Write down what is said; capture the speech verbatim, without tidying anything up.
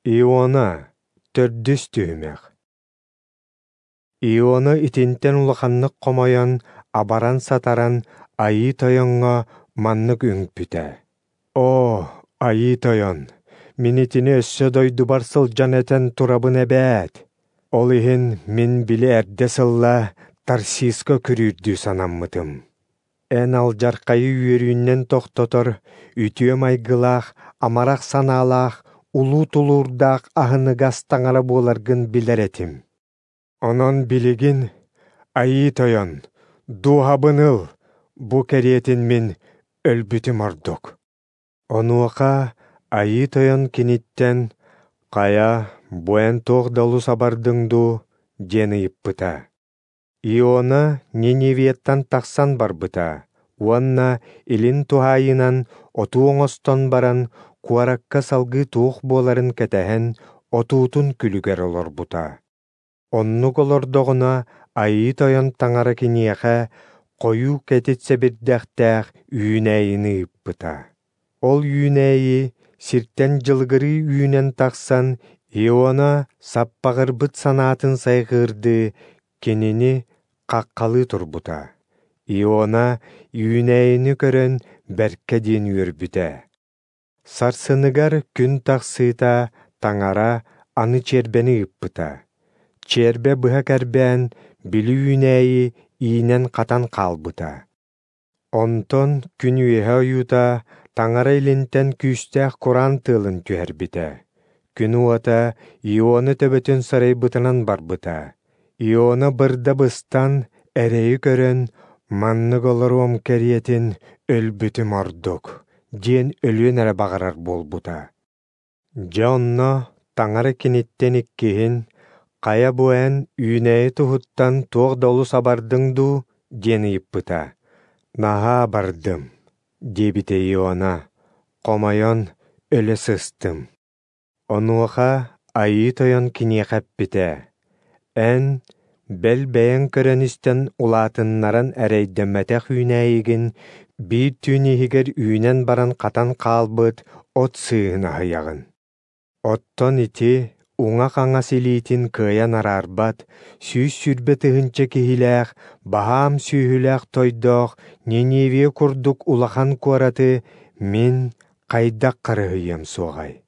Иона, төрдүс түһүмэх. Иона итинтэн улаханнык хомойон, абаран-сатаран Айыы Тойоҥҥо маннык үҥпүтэ: «Оо, Айыы Тойон, мин итини өссө дойдубар сылдьан этэн турабын эбээт. Ол иһин мин били эрдэ сылла Тарсиска күрүүрдүү санаммытым. Эн алдьархайы үөрүүнэн тохтотор, үтүө майгылаах, амарах санаалаах, улуу тулуурдаах аһыныгас таҥара буоларгын билэр этим. Онон билигин, Айыы Тойон, дууһабын ыл, бу кэриэтин мин өлбүтүм ордук». Онуоха Айыы Тойон киниттэн: «Хайа, бу эн туох да олус абардыҥ дуу?» диэн ыйыппыта. Иона Ниневияттан тахсан барбыта уонна илин туһаайыынан отуу оҥостон баран, куоракка салгыы туох буоларын кэтэһэн, отуутун күлүгэр олорбута. Оннук олордоҕуна, Айыы Тойон Таҥара киниэхэ хойуу кэтит сэбирдэхтээх үүнээйини ыыппыта. Ол үүнээйи сиртэн дьылыгырыы үүнэн тахсан, Иона саппаҕырбыт санаатын сайҕыырдыы кинини хаххалыы турбута. Иона үүнээйини көрөн бэркэ диэн үөрбүтэ. Сарсыныгар күн тахсыыта Таҥара аны чиэрбэни ыыппыта. Чиэрбэ быһа кэрбээн, били үүнээйи иинэн-хатан хаалбыта. Онтон күн үөһэ ойуута Таҥара илинтэн күүстээх кураан тыалын түһэрбитэ. Күн уота Иона төбөтүн сарайбытынан барбыта. Иона бырда быстан, эрэйи көрөн, «Маннык олоруом кэриэтин өлбүтүм ордук» диэн өлүөн эрэ баҕарар буолбута. Дьэ онно Таҥара киниттэн иккиһин: «Хайа бу эн үүнээйи туһуттан туох да олус абардыҥ дуу?» диэн ыйыппыта. «Наһаа абардым», диэбитэ Иона, «хомойон өлө сыстым». Онуоха Айыы Тойон киниэхэ эппитэ: «Эн бэл бэйэҥ көрөн-истэн улаатыннаран эрэйдэммэтэх үүнээйигин биир түүн иһигэр үүнэн баран хатан хаалбыт от сыыһын аһыйаҕын. Оттон ити уҥа-хаҥас илиитин кыайан араарбат, сүүс сүүрбэ тыһыынча киһилээх, баһаам сүөһүлээх тойдоох Ниневия курдук улахан куораты мин хайдах харыһыйыам суоҕай?»